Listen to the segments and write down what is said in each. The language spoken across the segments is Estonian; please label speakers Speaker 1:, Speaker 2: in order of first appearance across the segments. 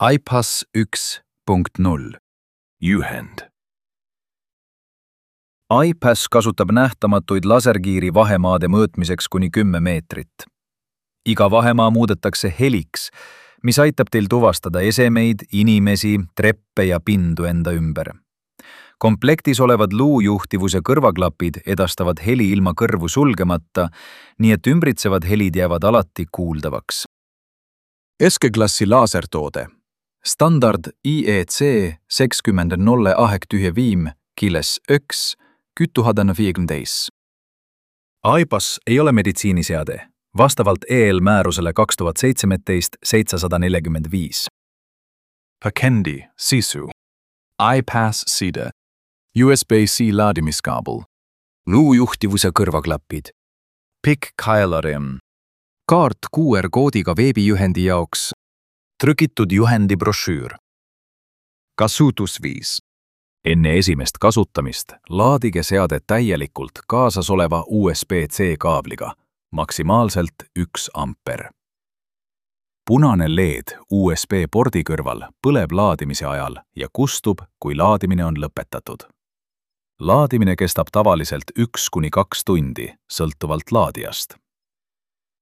Speaker 1: iPass 1.0
Speaker 2: Juhend.
Speaker 3: iPass kasutab nähtamatuid laserkiiri vahemaade mõõtmiseks kuni 10 meetrit. Iga vahemaa muudetakse heliks, mis aitab teil tuvastada esemeid, inimesi, treppe ja pindu enda ümber. Komplektis olevad luujuhtivuse kõrvaklapid edastavad heli ilma kõrvu sulgemata, nii et ümbritsevad helid jäävad alati kuuldavaks.
Speaker 1: Eskeklassi laasertoode. Standard IEC 70.0 kiles 1 2015. iPass ei ole meditsiiniseade, vastavalt EL-määrusele 2017-745.
Speaker 2: Pakendi sisu.
Speaker 1: iPass side. USB-C laadimiskaabel.
Speaker 3: Luujuhtivuse kõrvaklapid.
Speaker 1: Pikk-kaelarimm. Kaart QR-koodiga veebijuhendi jaoks.
Speaker 3: Trükitud juhendi brošüür.
Speaker 1: Kasutusviis.
Speaker 3: Enne esimest kasutamist laadige seade täielikult kaasas oleva USB-C kaabliga, maksimaalselt 1 amper. Punane LED USB-pordi kõrval põleb laadimise ajal ja kustub, kui laadimine on lõpetatud. Laadimine kestab tavaliselt 1–2 tundi, sõltuvalt laadijast.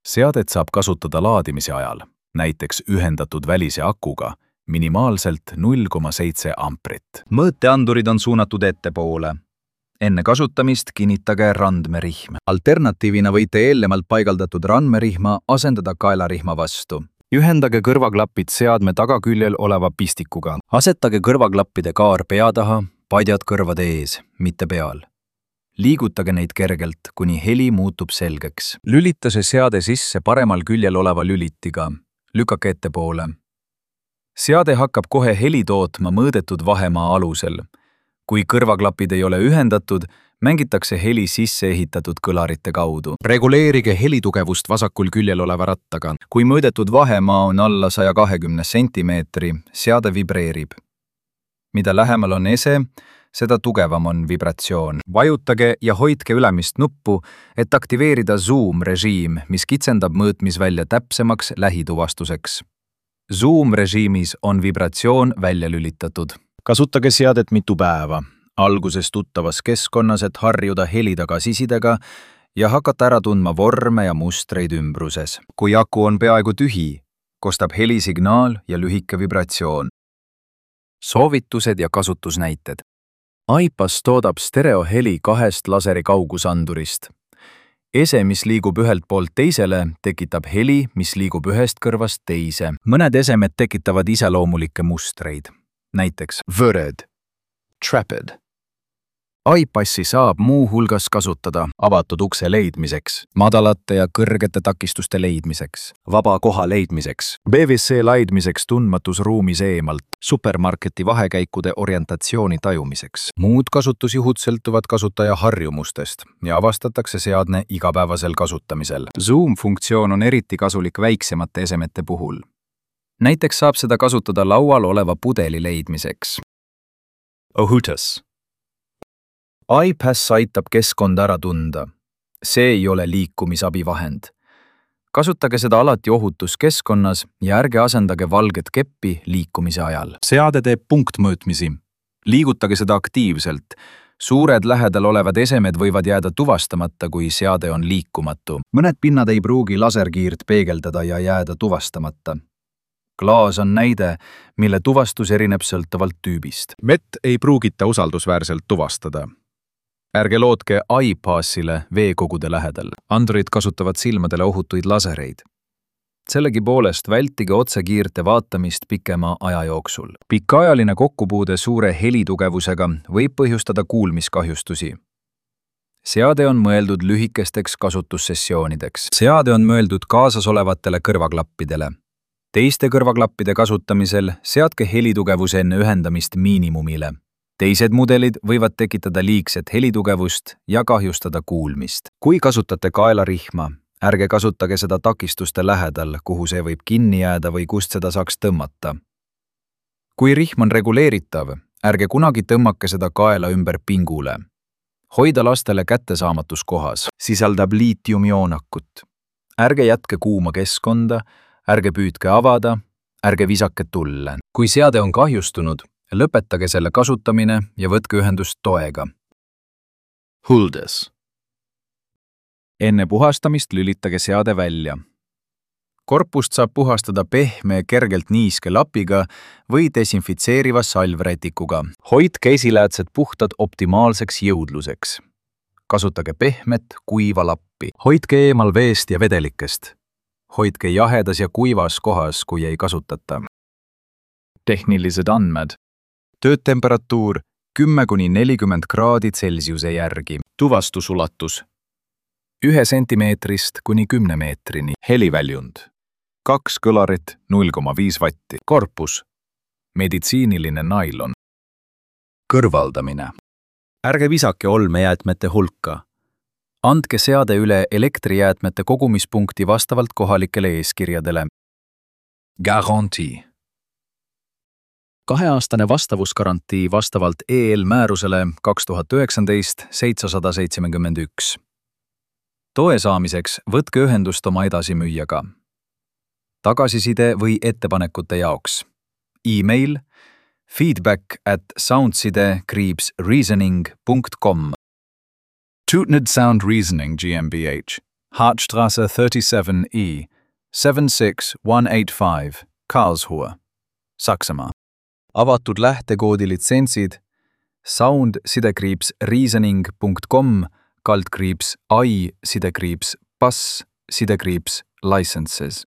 Speaker 3: Seadet saab kasutada laadimise ajal, näiteks ühendatud välise akuga, minimaalselt 0,7 amprit. Mõõteandurid on suunatud ettepoole. Enne kasutamist kinnitage randmerihm. Alternatiivina võite eelnevalt paigaldatud randmerihma asendada kaelarihma vastu. Ühendage kõrvaklapid seadme tagaküljel oleva pistikuga. Asetage kõrvaklappide kaar pea taha, padjad kõrvade ees, mitte peal. Liigutage neid kergelt, kuni heli muutub selgeks. Lülita see seade sisse paremal küljel oleva lülitiga. Lükake ettepoole. Seade hakkab kohe heli tootma mõõdetud vahemaa alusel. Kui kõrvaklapid ei ole ühendatud, mängitakse heli sisse ehitatud kõlarite kaudu.
Speaker 1: Reguleerige helitugevust vasakul küljel oleva rattaga.
Speaker 3: Kui mõõdetud vahemaa on alla 120 sentimeetri, seade vibreerib. Mida lähemal on ese, seda tugevam on vibratsioon. Vajutage ja hoidke ülemist nuppu, et aktiveerida zoom-režiim, mis kitsendab mõõtmisvälja täpsemaks lähituvastuseks. Zoom-režiimis on vibratsioon välja lülitatud. Kasutage seadet mitu päeva, alguses tuttavas keskkonnas, et harjuda heli tagasisidega ja hakata ära tundma vorme ja mustreid ümbruses. Kui aku on peaaegu tühi, kostab helisignaal ja lühike vibratsioon. Soovitused ja kasutusnäited. iPass toodab stereoheli 2 laseri kaugusandurist. Ese, mis liigub ühelt poolt teisele, tekitab heli, mis liigub ühest kõrvast teise. Mõned esemed tekitavad iseloomulikke mustreid. Näiteks võred, trapid. iPassi saab muu hulgas kasutada avatud ukse leidmiseks, madalate ja kõrgete takistuste leidmiseks, vaba koha leidmiseks, BVC laidmiseks tundmatus ruumis eemalt, supermarketi vahekäikude orientatsiooni tajumiseks. Muud kasutusjuhud sõltuvad kasutaja harjumustest ja avastatakse seadne igapäevasel kasutamisel. Zoom-funktsioon on eriti kasulik väiksemate esemete puhul. Näiteks saab seda kasutada laual oleva pudeli leidmiseks. Ohutus. iPass aitab keskkonda ära tunda. See ei ole liikumisabivahend. Kasutage seda alati ohutuskeskkonnas ja ärge asendage valget keppi liikumise ajal. Seade teeb punktmõõtmisi. Liigutage seda aktiivselt. Suured lähedal olevad esemed võivad jääda tuvastamata, kui seade on liikumatu. Mõned pinnad ei pruugi laserkiirt peegeldada ja jääda tuvastamata. Klaas on näide, mille tuvastus erineb sõltuvalt tüübist.
Speaker 1: Vett ei pruugita usaldusväärselt tuvastada.
Speaker 3: Ärge lootke iPassile veekogude lähedal. Andurid kasutavad silmadele ohutuid lasereid. Sellegipoolest vältige otsekiirte vaatamist pikema aja jooksul. Pikaajaline kokkupuude suure helitugevusega võib põhjustada kuulmiskahjustusi. Seade on mõeldud lühikesteks kasutussessioonideks. Seade on mõeldud kaasas olevatele kõrvaklappidele. Teiste kõrvaklappide kasutamisel seadke helitugevus enne ühendamist miinimumile. Teised mudelid võivad tekitada liigset helitugevust ja kahjustada kuulmist. Kui kasutate kaelarihma, ärge kasutage seda takistuste lähedal, kuhu see võib kinni jääda või kust seda saaks tõmmata. Kui rihm on reguleeritav, ärge kunagi tõmmake seda kaela ümber pingule. Hoida lastele kättesaamatus kohas, sisaldab liitiumioonakut. Ärge jätke kuuma keskkonda, ärge püüdke avada, ärge visake tulle. Kui seade on kahjustunud, lõpetage selle kasutamine ja võtke ühendust toega.
Speaker 1: Huldes.
Speaker 3: Enne puhastamist lülitage seade välja. Korpust saab puhastada pehme, kergelt niiske lapiga või desinfitseeriva salvrätikuga. Hoidke esiläätsed puhtad optimaalseks jõudluseks. Kasutage pehmet, kuiva lappi. Hoidke eemal veest ja vedelikest. Hoidke jahedas ja kuivas kohas, kui ei kasutata. Tehnilised andmed. Töötemperatuur 10–40 kraadi Celsiuse järgi.
Speaker 1: Tuvastusulatus.
Speaker 3: 1 sentimeetrist kuni 10 meetrini.
Speaker 2: Heliväljund. 2 kõlarit, 0,5 vatti.
Speaker 3: Korpus. Meditsiiniline nailon. Kõrvaldamine. Ärge visake olmejäätmete hulka. Andke seade üle elektrijäätmete kogumispunkti vastavalt kohalikele eeskirjadele.
Speaker 2: Garantii.
Speaker 3: 2-aastane vastavusgarantii vastavalt EL määrusele 2019/771. Toe saamiseks võtke ühendust oma edasimüüjaga. Tagasiside või ettepanekute jaoks. E-mail feedback@soundside-reasoning.com. Tootned Sound Reasoning GmbH, Hartstraße 37E, 76185, Karlsruhe, Saksamaa. Avatud lähtekoodi litsentsid sound-reasoning.com /i-pass-licenses.